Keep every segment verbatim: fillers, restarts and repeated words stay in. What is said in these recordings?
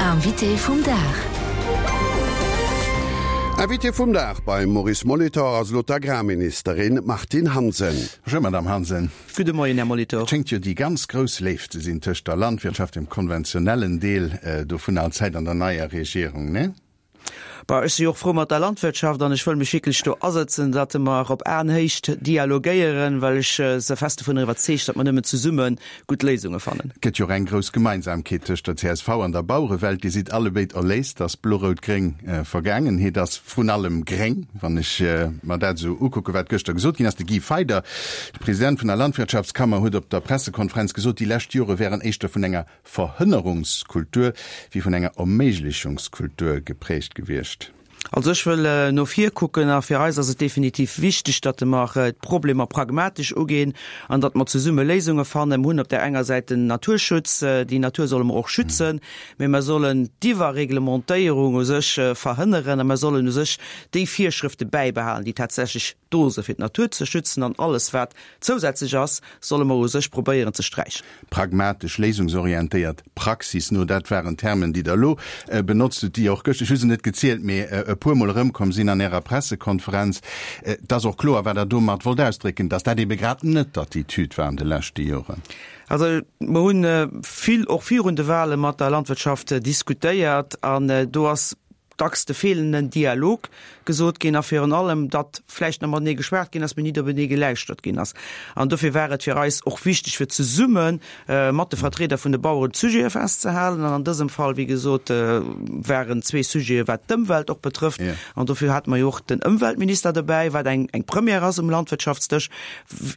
Invité vum Dag. Invité vum Dag beim Maurice Molitor ass elo d'Agrarministerin Martine Hansen. Bonjour Madame Hansen. Gudde Moien, Här Molitor. Et schéngt jo déi ganz grouss Léift ze sinn tëscht der Landwirtschaft, dem konventionellen Deel dovun allzäit, an der neier Regierung, ne? Bah, ech si och frou mat der Landwirtschaft an ech wëll mech wierklech do asëtzen, datt mer op Aenhéicht dialogéieren, well ech se fest dovunner iwwerzeegt, datt mer nëmmen zesumme gutt Léisunge fannen. Et gëtt jo och eng grouss Gemeinsamkeet tëscht der csv an der Bauerewelt, Dir sidd allebéid erléist, datt Blo-Rout-Gréng Vergaangenheet ass, vrun allem Gréng, wann ech mer dat esou ukucken, wat gëschter gesot ginn ass. De Guy Feyder, de President vun der Landwirtschaftskammer, huet op der Pressekonferenz gesot, déi lescht Jore wären éischter vun enger Verhënnerungskultur wéi vun enger Erméiglechungskultur geprägt gewiescht. Also ech wëll no vir kucken a fir eis ass et definitiv wichteg, datt mer d'Problemer pragmatesch ugeen an datt mer zesumme Léisunge fannen. Mer hunn op där enger Säit den Naturschutz, déi Natur solle mer och schützen, mä mer sollen d'Iwwerreglementéierung u sech verhënneren a mer sollen u sech déi Virschrëfte bäibehalen, déi tatsächlech do se fir d'Natur ze schützen an alles wat zousätzlech ass, solle mer u sech probéieren ze sträichen. Pragmatesch, léisungsorientéiert, praxisno, dat waren Termen, déi Der elo benotzt hutt, déi och gëscht, ech hu se net gezielt, mee e puermol erëmkomm sinn an Ärer Pressekonferenz. Et ass och kloer, wat Der domat wollt ausdrécken, dass dat ebe grad net d'Attitüd war an de leschte Joren. Also mer hunn vill och virun de Wahle mat der Landwirtschaft diskutéiert an do ass dacks de feelenden Dialog gesot ginn a virun allem, datt vläicht nach matenee geschwat ginn ass, mee nit openee geläuschtert ginn ass. An dofir war et fir eis och wichteg, fir zesumme mat de Vertrieder vun de Baueren d'Sujete festzehalen. An an dësem Fall, wéi gesot, waren zwee Sujete wat d'Ëmwelt och betrëfft. An dofir hate mer jo och den Ëmweltminister dobäi, wat eng eng Première ass um Landwirtschaftsdësch,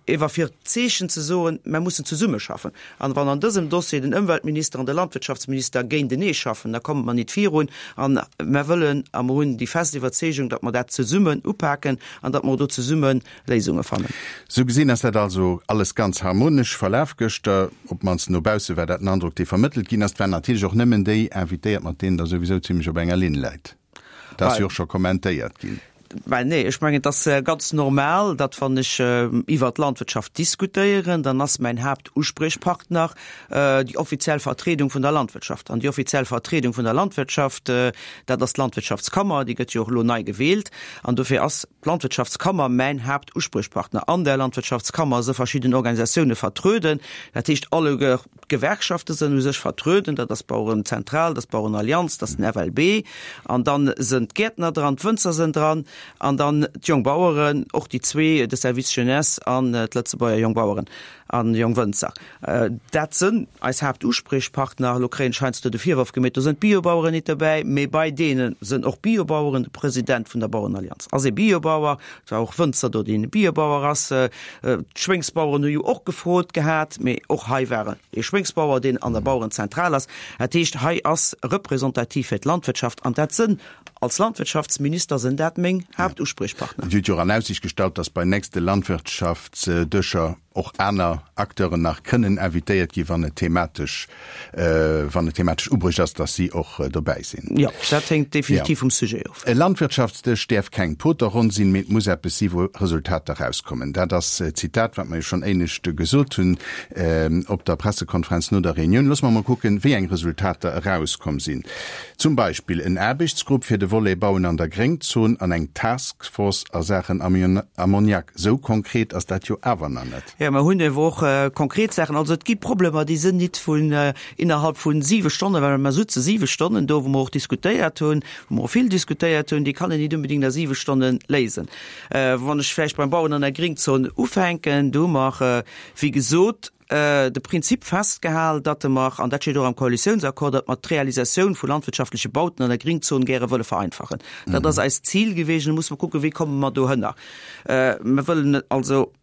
ewer fir d'Zeechen ze soen, mer mussen zesummeschaffen. An wann an dësem Dossier den Ëmweltminister an de Landwirtschaftsminister géintenee schaffen, da komme mer nit virun. An mer wëllen a mer hunn déi fest Iwwerzeegung, datt mer dat zesummen upaken an datt mer do zesumme Léisunge fannen. Sou gesinn ass dat also alles ganz harmonesch verlaf gëschter, op d'mannst no bausse war dat den Androck, dee vermëttelt ginn ass. Et waren natierlech och nëmmen déi invitéiert, mat deenen Der souwisou zimlech op enger Linn läit. Dat ass jo och scho kommentéiert ginn. Ben nee, ech mengen, et ass ganz normal, datt wann ech iwwert d'Landwirtschaft diskutéieren, dann ass mäin Haaptuspriechpartner déi offiziell Vertriedung vun der Landwirtschaft. An déi offiziell Vertriedung vun der Landwirtschaft, dat ass d'Landwirtschaftskammer, déi gëtt jo och elo nei gewielt. An dofir ass d'Landwirtschaftskammer mäin Haaptuspriechpartner. An där Landwirtschaftskammer si verschidden Organisatioune vertröden, dat heescht alleguer d'Gewerkschafte sënn u sech vertröden, dat ass d'Bauerenzentral, dat ass d'Bauerenallianz, dat ass den FLB, an dann sënn d'Gäertner dran, d'Wënzer sënn dran an dann d'Jongbaueren, och déi zwee, de Service Jeunesse an d'Lëtzebuerger Jongbaueren an Jongwënzer. Dat sënn eis Haaptuspriechpartner. Elo kréien ech heiansdo de Virworf gemeet, do sënn d'Biobaueren nit dobäi, mee bei deene sënn och Biobaueren. De President vun der Bauerenallianz ass ee Biobauer, et war och Wënzer do, deen e Biobauer ass. D'Schwéngsbaueren hu jo och gefrot gehat, mee och hei war ee Schwéngsbauer, deen an der Bauerenzentral ass. Dat heescht, hei ass representativ fir d'Landwirtschaft an dat sënn, als Landwirtschaftsminister sënn dat meng Haaptuspriechpartner. Dir hutt jo och an Aussiicht gestallt, datt bei nächste Landwirtschaftsdëscher och aner Acteuren nach kënnen invitéiert ginn, wann et thematesch, wann et thematesch ubruecht ass, datt si och dobäi sinn. Jo, dat hänkt definitiv vum Sujet of. E Landwirtschaftsdësch däerf keng Poterronn sinn, mee et muss eppes si wou Resultater rauskommen. Dat ass e Zitat, wat mer jo schonn éinescht gesot hunn op der Pressekonferenz no der Reunioun. Loosse mer mol kucken, wéi eng Resultater erauskomm sinn. Zum Beispill en Aarbechtsgrupp fir de Volet Bauen an der Gréngzon an eng Taskforce a Saachen Ammoniak. Sou konkret ass dat jo awer nach net. Jo, mer hunn ewer och konkret Saachen. Also et gi Problemer, déi sinn nit vun innerhalb vu siwe Stonnen, well mer sutze siwe Stonnen do, wou mer och diskutéiert hunn, wou mer och vill diskutéiert hunn, déi kann een nit unbedingt a siwe Stonne léisen. Wann ech vläicht beim Bauen an der Gringzon ufänken, do hu mer, wéi gesot, de Prinzip festgehal, datt mer, an dat steet och am Koalitiounsaccord, datt mer d'Realisatioun vu landwirtschaftleche Bauten an der Gringzon gäre wëlle vereinfachen. Dat ass eist Zil geweecht. Elo musse mer kucken, wéi komme mer dohënner. Mer wëllen also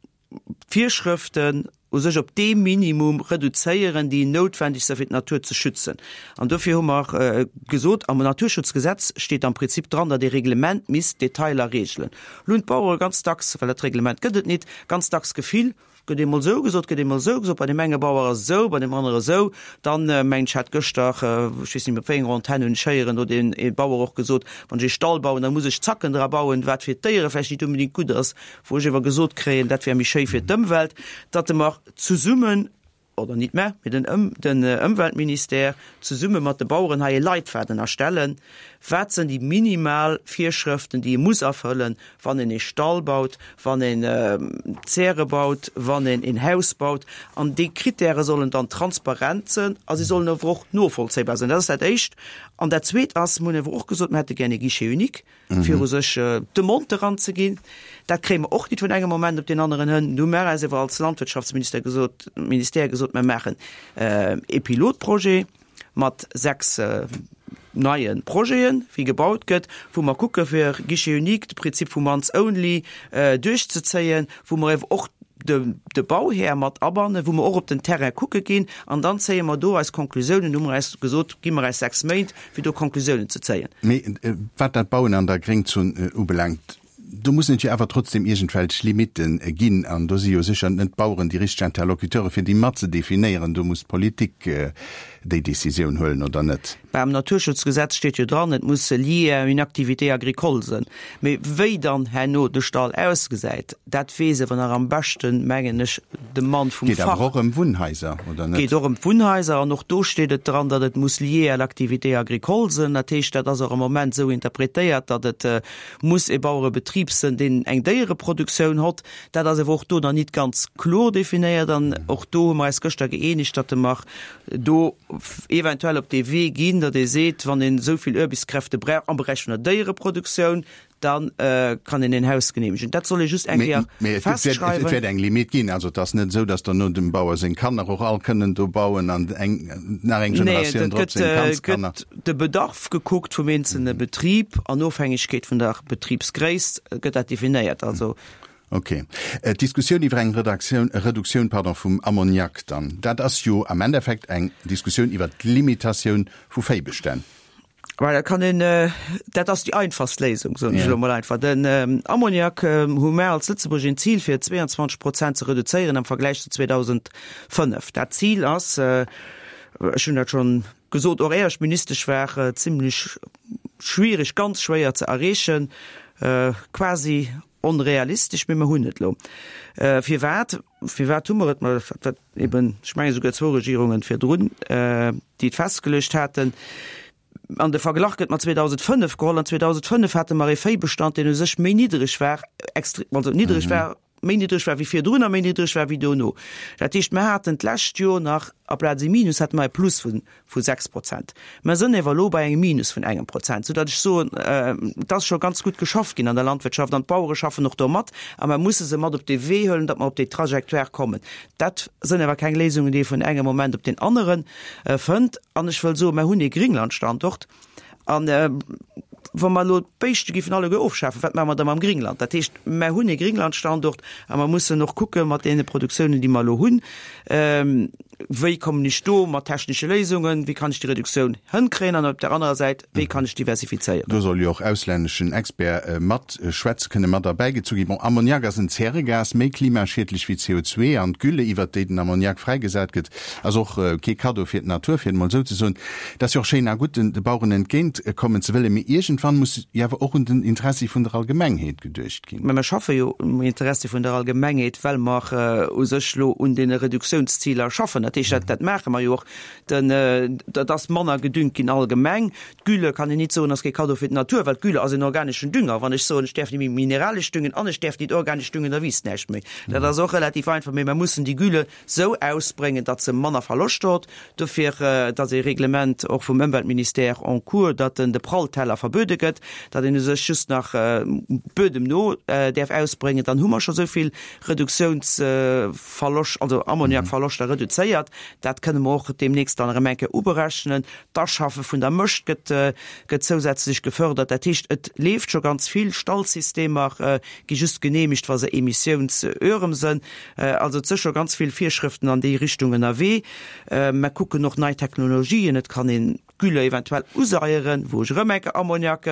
d'Virschrëften u sech op dee Minimum reduzéieren, déi noutwendeg sinn, fir d'Natur ze schützen. An dofir hu mer gesot, am Naturschutzgesetz steet am Prinzip dran, datt ee Reglement misst d'Detailer regelen. Elo hunn d'Bauere ganz dacks, well dat Reglement gëtt et nit, ganz dacks d'Gefill, gëtt eemol esou gesot, gëtt eemol esou gesot, bei deem enge Bauer ass et esou, bei deem anere esou. Dann, mengen ech, hat gëschter, ech weess net méi op wéi enger Antenn, hunn ech héieren, huet een ee Bauer och gesot, wann ech ee Stall bauen, da muss ech Zacken dra bauen, wat fir d'Déiere vläicht nit unbedingt gutt ass, wou ech ewer gesot kréien, dat wär méi schéi fir d'Ëmwelt, datt mer zesummen oder nit mä, mee den Ëm, den Ëmweltministère zesumme mat de Baueren hei e Leitfaden erstellen, wat sinn déi minimal Virschrëften, déi ee muss erfëllen, wann een ee Stall baut, wann een Zäre baut, wann een een Haus baut. An déi Kritäre sollen dann transparent sinn a si sollen awer och novollzéibar sinn. Dat ass dat Éischt. An dat Zweet ass, mir hunn awer och gesot, mir hätte gär e Guichet unique, fir u sech d'Demande eranzeginn. Dat kréie mer och nit vun engem Moment op deen aneren hënn. Du hu mer eis awer als Landwirtschaftsminister gesot, Ministère gesot, mer maachen ee Pilotprojet mat sechs neie Projeten, wéi gebaut gëtt, wou mer kucke fir Guichet unique, de Prinzip vum once only duerchzezéien, wou mer awer och de de Bauhär mat abannen, wou mer och op den Terrain kucke ginn, an dann zéie mer do eis Konklusiounen. Hu mer eis gesot, gi mer eis sechs Méint, fir do Konklusiounen ze zéien. Mee wat dat Bauen an der Gréngzon ubelaangt, do mussen et jo awer trotzdem iergendwelch Limitte ginn, an do si jo sécher net d'Baueren déi richteg Interlocuteure fir déi mat ze definéieren. Do muss d'Politik déi Décisioun huelen, oder net? Bah, am Naturschutzgesetz steet jo dran, et muss lié à une activité agricole sinn. Mee wéi dann herno de Stall ausgesäit, dat weess awer nach am beschten, mengen ech, de Mann vum Geet awer Fach. och ëm Wunnhaiser, oder net? Geet och ëm d'Wunnhaiser an och do steet et dran, datt et muss lié à l'activité agricole sinn. Dat heescht, dat ass och am Moment esou interpretéiert, datt et muss e Bauerebetrib sinn, deen eng Déiereproduktioun hott. Dat ass awer och do nach nit ganz kloer definéiert an och do hu mer eis gëschter gëeenegt, datt mer do eventuell op dee Wee ginn, datt ee seet, wann een esou vill Aarbechtskräfte brauch am Beräich vun der Déiereproduktioun, da kann een een Haus genehmegen. Dat soll ee just eng Kéier festschreiwen. Mee et wäert eng Limite ginn. Also et ass net esou, datt derno dem Bauer seng Kanner och all kënnen do bauen an eng nach eng Generatioun drop seng Kandskanner. Nee, et gëtt de Bedarf gekuckt vum eenzelne Betrib an Ofhängegkeet vun der Betribsgréisst gëtt dat definéiert. Also. Ok. D'Diskussioun iwwer eng Redaktioun, Reduktioun, pardon, vum Ammoniak dann, dat ass jo am Endeffekt eng Diskussioun iwwer d'Limitatioun vu Véibestänn. Well dat kann een, dat ass déi einfachst Léisung, soen ech elo mol einfach. Den Ammoniak hu mär als Lëtzebuerg een Zil fir zweiundzwanzeg Prozent ze reduzéieren am Vergläich zu zweedausendfënnef. Dat Zil ass, ech hunn dat schonn gesot, och éier ech Ministesch war, zimlech schwierig, ganz schwéier ze erreechen, quasi onrealistesch, mee mer hunn et elo. Firwat? Firwat hu mer et? Ma dat war eben, ech mengen esouguer zwou Regierungen virdrun, déi et festgeluecht haten. An de Verglach gëtt mat zweedausendfënnef geholl. An zweedausendfënnef hate mer ee Véibestand, deen u sech méi niddreg war, extre-, also niddreg war, méi niddreg war wéi virdrun a méi niddreg war wéi dono. Dat heescht, mer haten d'lescht Joer nach aplaz ee Minus hate mer e Plus vu vu sechs Prozent. Mer sënn ewer elo bei engem Minus vun engem Prozent, soudatt ech soen, et ass scho ganz gutt geschafft ginn an der Landwirtschaft an d'Bauere schaffen och do mat a mer musse se mat op dee Wee huelen, datt mer op déi Trajectoire kommen. Dat sënn awer keng Léisungen, déi ee vun engem Moment op deen anere fënnt. An ech wëll soen, mer hunn ee Gringlandstandort. An wa mer elo d'Béischte géifen alleguer ofschafen, wat maache mer da mam Gringland? Dat heescht, mer hunn ee Gringlandstandort a mer mussen och kucke mat deene Produktiounen, déi mer elo hunn, wéi kommen ech do mat technesche Léisungen, wéi kann ech déi Reduktioun hënkréien an op där anerer Säit, wéi kann ech diversifizéieren. Do soll jo och auslänneschen Experte matschwätze kënnen, mat erbäigezu ginn. Bon, Ammoniak ass en Zäregas, méi klimaschiedlech wéi C O zwee an d'Gülle, iwwert déi den Ammoniak fräigesat gëtt, ass och kee Kaddo fir d'Natur, fir et emol esou ze soen. Et ass jo och schéin a gutt, de Baueren entgéint kommen ze wëllen, mee iergendwann muss jo awer och un den Interessi vun der Allgemengheet geduecht ginn. Mä mer schaffe jo um Interessi vun der Allgemengheet, well mer u sech elo un deene Reduktiounsziler schaffen. Dat heescht, dat maache mer jo och. Den, dat ass manner gedüngt ginn allgemeng. D'Gülle kann een nit soen, ass kee Kaddo fir d'Natur, well d'Gülle ass en organeschen Dünger. Wann ech soen, ech däerf net méi mineralesch düngen an ech däerf nit organesch düngen, da wiisst näischt méi. Dat ass och relativ einfach. Mee mer mussen déi Gülle sou ausbréngen, datt se manner Verloscht hott. Dofir, et ass ee Reglement och vum Ëmweltministère en cours, datt en de Prallteller verbuede gëtt, datt een u sech just nach Buedem no däerf ausbréngen. Dann hu mer scho sou vill Reduktiounsverloscht, also Ammoniakverloschter reduzéiert. Dat kënne mer och deemnächst dann erëm eng Kéier uberechnen. D'Aschaffe vun der Mëscht gëtt, gëtt zousätzlech gefördert. Dat heescht, et leeft scho ganz vill. Stallsystemer gi just genehmigt, wa se emissiounsörem sënn. Also et si scho ganz vill Virschrëften an déi Richtung ënnerwee. Mer kucken och nei Technologien. Et kann een d'Gülle eventuell useieren, wou ech erëm eng Kéier Ammoniak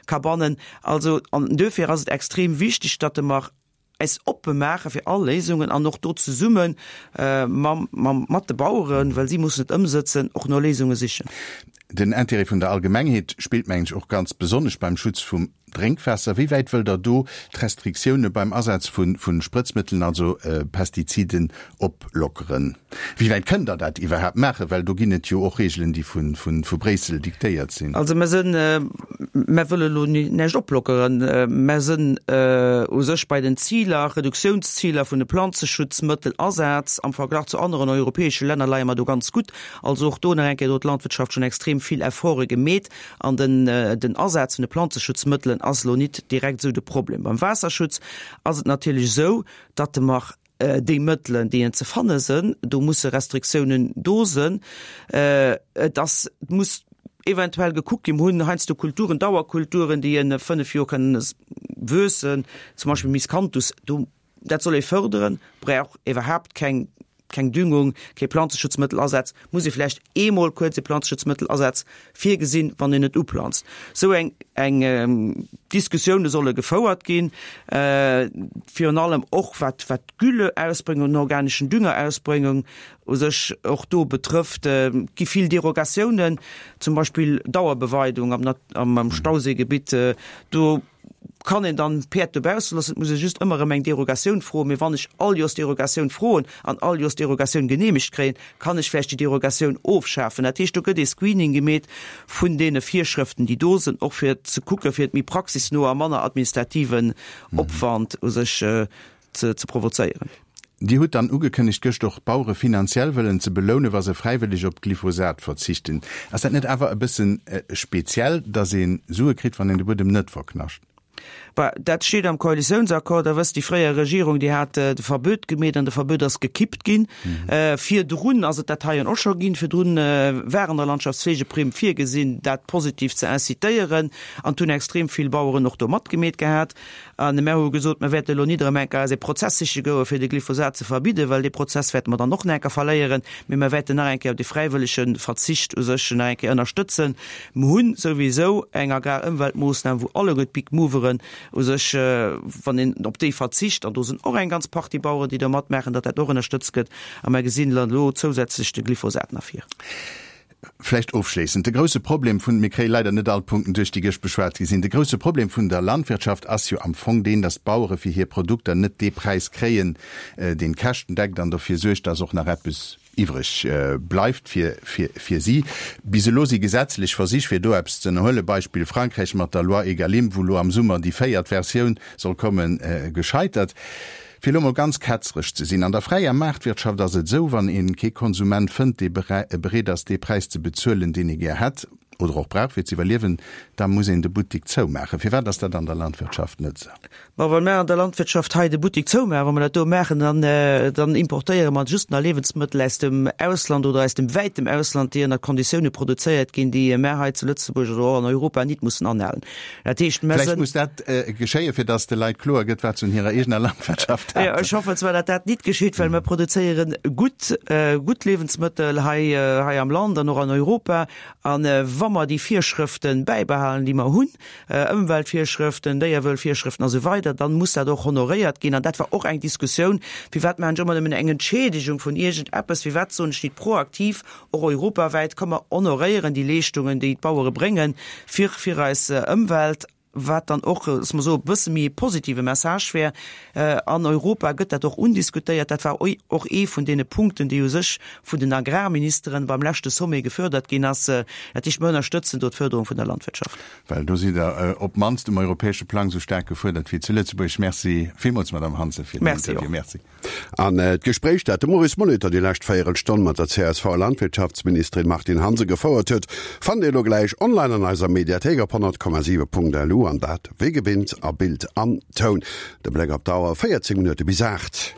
ka bannen. Also, an duerfir ass et extrem wichteg, datt mer eis oppe maache fir all Léisungen an och do zesumme mam, mam, mat de Baueren, well si mussen et ëmsëtzen, och no Léisunge sichen. Den Intérêt vun der Allgemengheet spillt, mengen ech, och ganz besonnesch beim Schutz vum Drénkwaasser. Wéi wäit wëllt Der do d'Restriktioune beim Asaz vu Sprëtzmëttelen, also Pestiziden, oplockeren? Wéi wäit kënnt Der dat iwwerhaapt maachen? Well do ginn et jo och Reegelen, déi vu Bréissel diktéiert sinn. Also mer sinn, mer wëlle elo näischt oplockeren. Mer sinn u sech bei den Ziler, Reduktiounsziler vun de Planzeschutzmëttelasaz am Verglach zu aneren europäesche Länner leie mer do ganz gutt. Also och do nach eng Kéier, do huet d'Landwirtschaft schonn extrem vill Efforte gemeet an den den Asaz vun de Planzeschutzmëttelen ass elo nit direkt esou de Problem. Beim Waasserschutz ass et natierlech esou, datt mer déi Mëttelen, déi en ze fanne sënn, do musse Restriktiounen do sënn. Et ass, et muss eventuell gekuckt ginn, mir hunn heiansdo Kulturen, Dauerkulturen, déi en fënnef Joer kënnen wuessen, zum Beispill Miscanthus, do, dat soll ee fërderen, brauch iwwerhaapt keng keng Düngung, kee Planzeschutzmëttelasaz, muss ee vläicht eemol kuerz e Planzeschutzmëttelasaz virgesinn, wann een et uplanzt. Esou eng eng Diskussioune solle gefouert ginn, virun allem och wat wat d'Gülleausbréngung, den organeschen Düngerausbréngung u sech och do betrëfft. Et gi vill Derogatiounen, zum Beispill Dauerbeweidung am am Stauséigebitt, do kann een dann d'Päerd dobausse loossen, et muss ee just ëmmer erëm eng Derogatioun froen. Mee wann ech all Joers Derogatioun froen an all Joers Derogatioun geneemegt kréien, kann ech vläicht déi Derogatioun ofschafen. Dat heescht, do gëtt ee Screening gemeet vun deene Virschrëften, déi do sinn, och fir ze kucken, fir et méi praxisno a manner administrativen Opwand u sech ze provozéieren. Dir hutt dann ugekënnegt, gëscht och d'Bauere finanziell wëllen ze belounen, wa se fräiwëlleg op Glyphosat verzichten. Ass dat net awer e bëssen speziell, datt ee Sue kritt, wann een de Buedem net verknascht? Bah, dat steet am Koalitiounsaccord. Der wësst, déi fréier Regierung, déi hat de Verbuet gemeet an de Verbuet ass gekippt ginn. Virdrun ass et dat heien och scho ginn. Virdrun war an der Landschaftsfleegeprimm virgesinn, dat positiv ze incitéieren an et hunn extrem vill Baueren och do matgemeet gehat. A mär hu gesot, mer wäerte elo nit erëm eng Kéier eis ee Prozess siche goe fir de Glyphosat ze verbidden, well dee Prozess wäerte mer dann och nach eng Kéier verléieren, mee mer wäerten nach eng Kéier de fräiwëllege Verzicht u sech nach eng Kéier ënnerstëtzen. Mer hu souwisou eng Agrarëmweltmoossnam, wou alleguer d'Big Moveren u sech, wann een op déi verzicht, an do sinn och eng ganz Partie Baueren, déi do matmaachen, datt dat och ënnerstëtzt gëtt. A mer gesinn elo zousätzlech de Glyphosat nach vir. Vläicht ofschléissend, de grousse Problem vun, mir kréie leider net all d'Punkten duerch, déi gëscht beschwat gi sinn, de grousse Problem vun der Landwirtschaft ass jo am Fong deen, datt d'Bauere fir hir Produkter net dee Präis kréien, deen d'Käschten deckt an dofir suergt, datt och nach eppes iwwreg bleift fir fir si. Bis elo si gesetzlech Versich fir do eppes ze ënnerhuelen, Beispill Frankräich mat der Loi Egalim, wou elo am Summer déi véiert Versioun soll kommen, gescheitert. Fir elo mol ganz ketzeresch ze sinn, an der fräier Maartwirtschaft ass et esou, wann ee kee Konsument fënnt, dee bereet ass dee Präis ze bezuelen, deen ee gär hätt oder och brauch fir ze iwwerliewen, da muss een de Buttik zoumaachen. Firwat ass dat an der Landwirtschaft net esou? Ma wa mer an der Landwirtschaft hei de Buttik zoumaachen, wa mer dat do maachen, dann, dann importéiere mer just nach Liewensmëttel aus dem Ausland oder aus dem wäitem Ausland, déi ënner Konditioune produzéiert ginn, déi mer hei zu Lëtzebuerg oder och an Europa nit mussen anhalen. Dat heescht, mer Vläicht sinn. muss dat geschéien, fir datt de Leit kloer gëtt, wat se un hirer eegener Landwirtschaft haten. Jo, ech hoffen zwar, datt dat nit geschitt, well mer produzéiere gutt, gutt Liewensmëttel hei, hei am Land an och an Europa. A wa mer déi Virschrëfte bäibehalen, déi mer hunn, Ëmweltvirschrëften, Déierwuelvirschrëften a sou weider, dann muss dat och honoréiert ginn. An dat war och eng Diskussioun, Firwat maachen ech ëmmer nëmmen eng Entschiedegung vun iergendeppes? Firwat soen ech nit proaktiv, och europawäit, Komm mer honoréieren déi Leeschtungen, déi d'Bauere bréngen fir fir eis Ëmwelt? Wat dann och, loosse mer soen, e bësse méi e positive Message wär. An Europa gëtt dat och undiskutéiert. Dat war och ee vun deene Punkten, déi u sech vun den Agrarministeren beim leschte Sommet gefördert ginn ass. Dat heescht, mer ënnerstëtzen do d'Förderung vun der Landwirtschaft. Well do sidd Der op d'mannst um europäesche Plang esou staark gefuerdert wéi zu Lëtzebuerg. Merci villmools, Madamm Hansen, fir den Interview. Merci. An d'Gespréich, dat de Maurice Molitor déi lescht Véierelstonn mat der C S V-Landwirtschaftsministerin Martine Hansen gefouert huet, fannt Dir elo gläich online an eiser Mediathéik op honnert Komma siwe Punkt lu an dat wéi gewinnt a Bild an Toun. De Bléck op d'Auer, véierzéng Minutte bis aacht.